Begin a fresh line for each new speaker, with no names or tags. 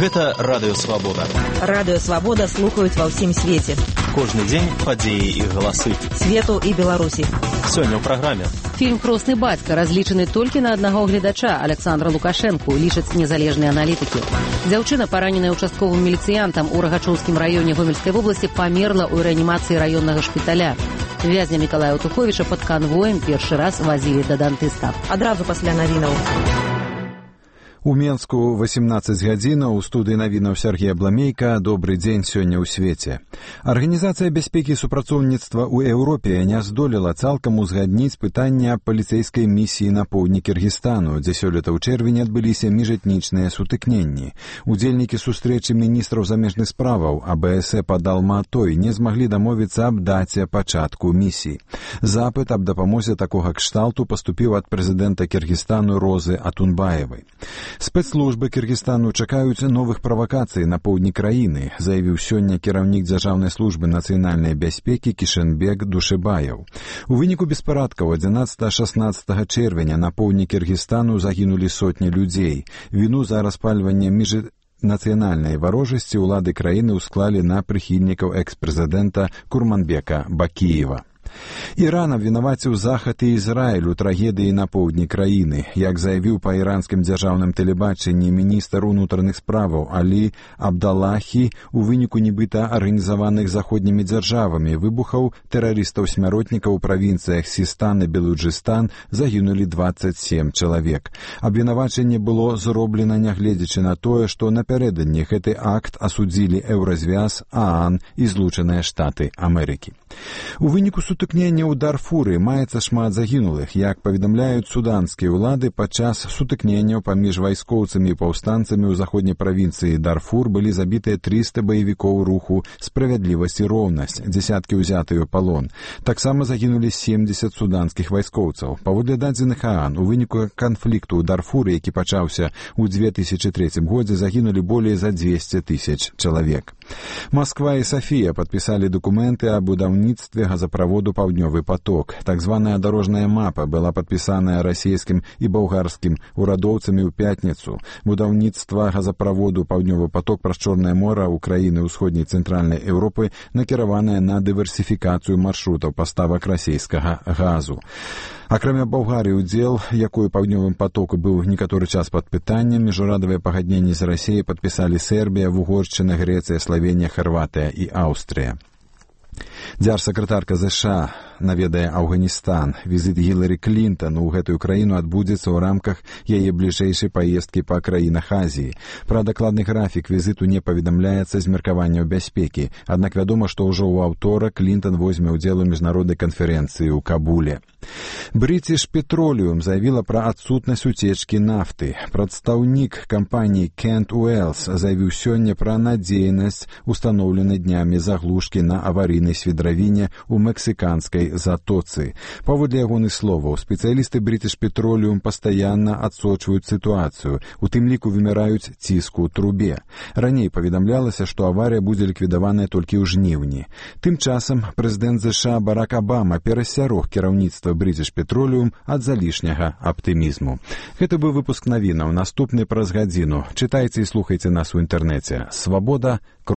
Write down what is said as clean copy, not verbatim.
Гэта Радыё Свабода.
Радыё Свабода слухаюць ва ўсім свеце.
Кожны дзень падзеі і галасы
Свету і Беларусі.
Сёння ў праграме.
Фільм «Хросны бацька» разлічаны толькі на аднаго гледача, Александра Лукашэнку, лічаць незалежныя аналітыкі. Дзяўчына, параненая участковым міліцыянтам у Рагачоўскім раёне Гомельскай вобласці, памерла ў рэанімацыі раённага шпіталя. Вязня Мікалая Туховіча пад канвоем першы раз вазілі да дантыста.
Адразу пасля навінаў.
У Менску 18 гадзінаў, у студыі навінаў Сергія Бламейка. Добры дзень сёння ў свеце. Арганізацыя бяспекі і супрацоўніцтва ў Еўропе не здолела цалкам узгадніць пытання паліцэйскай місіі на поўдні Кіргізстану, дзе сёлета ў чэрвені адбыліся міжэтнічныя сутыкненні. Удзельнікі сустрэчы міністраў замежных справаў АБС пад Алматой не змаглі дамовіцца аб даце пачатку місіі. Запыт аб дапамозе такога кшталту паступіў ад прэзідэнта Кіргізстану Розы Атунбаевай. Спецслужбы Кіргізстану чакаюць новых правакацый на поўдні краіны, заявіў сёння кіраўнік Дзяржаўнай службы нацыянальнай бяспекі Кішэнбек Душэбаяў. У выніку беспарадкаў 11-16 чэрвеня на поўдні Кіргізстану загінулі сотні людзей. Віну за распальванне міжнацыянальнай варожасці ўлады краіны ўсклалі на прыхільнікаў экс-прэзідэнта Курманбека Бакіева. Іран абвінаваціў Захад і Ізраіль у трагедыі на поўдні краіны. Як заявіў па іранскім дзяржаўным тэлебачанні міністр унутраных справаў Алі Абдаллахі, у выніку нібыта арганізаваных заходнімі дзяржавамі выбухаў тэрарыстаў-смяротнікаў у правінцыях Сістан і Белуджыстан загінулі 27 чалавек. Абвінавачанне было зроблена нягледзячы на тое, што напярэдадні гэты акт асудзілі Еўразвяз, ААН і Злучаныя Штаты Амерыкі. У выніку сутыкнення ў Дарфуры маецца шмат загінулых. Як паведамляюць суданскія ўлады, падчас сутыкненняў паміж вайскоўцамі і паўстанцамі ў заходняй правінцыі Дарфур былі забітыя 300 баевікоў руху «Справядлівасць і роўнасць», дзесяткі ўзятыя ў палон. Таксама загінулі 70 суданскіх вайскоўцаў. Паводле дадзеных ААН, у выніку канфлікту ў Дарфуры, які пачаўся ў 2003 годзе, загінулі болей за 200 000 чалавек. Масква і Сафія падпісалі дакументы аб будаўніцтве газаправоду «Паўднёвы поток». Так званая дарожная мапа была падпісаная расійскім і балгарскім урадоўцамі ў пятніцу. Будаўніцтва газаправоду «Паўднёвы поток» праз Чорнае мора ў краіны ўсходняй цэнтральнай Еўропы накіраваная на дыверсіфікацыю маршрутаў паставак расійскага газу. Акрамя Балгарыі, удзел якой «Паўднёвым потоку» быў некаторы час пад пытаннем, міжнародныя пагадненні з Расіяй падпісалі Сербія, Вугоршчына, Грэцыя, Славенія, Харватыя і Аўстрыя. Дзяржсакратарка ЗША наведае Афганістан. Візіт Гіларі Клінтон у гэтую краіну адбудзецца ў рамках яе бліжэйшай паездкі па краінах Азіі. Пра дакладны графік візіту не паведамляецца з меркаванняў бяспекі, аднак вядома, што ўжо ў аўторак Клінтон возьме ўдзел у міжнароднай канферэнцыі ў Кабуле. British Petroleum заявіла пра адсутнасць уцечкі нафты. Прадстаўнік кампаніі Kent Wells заявіў сёння пра надзейнасць устаноўленай днямі заглушкі на аварыйнай свідравіне ў мексіканскай затоцы. Паводле ягоных словаў, спецыялісты British Petroleum пастаянна адсочваюць сітуацыю, у тым ліку вымяраюць ціску ў трубе. Раней паведамлялася, што аварыя будзе ліквідаваная толькі ў жніўні. Тым часам прэзідэнт ЗША Барак Абама перасцярог кіраўніцтва British Petroleum ад залішняга аптымізму. Гэта быў выпуск навінаў. Наступны праз гадзіну. Чытайце і слухайце нас у інтэрнэце. Свабода.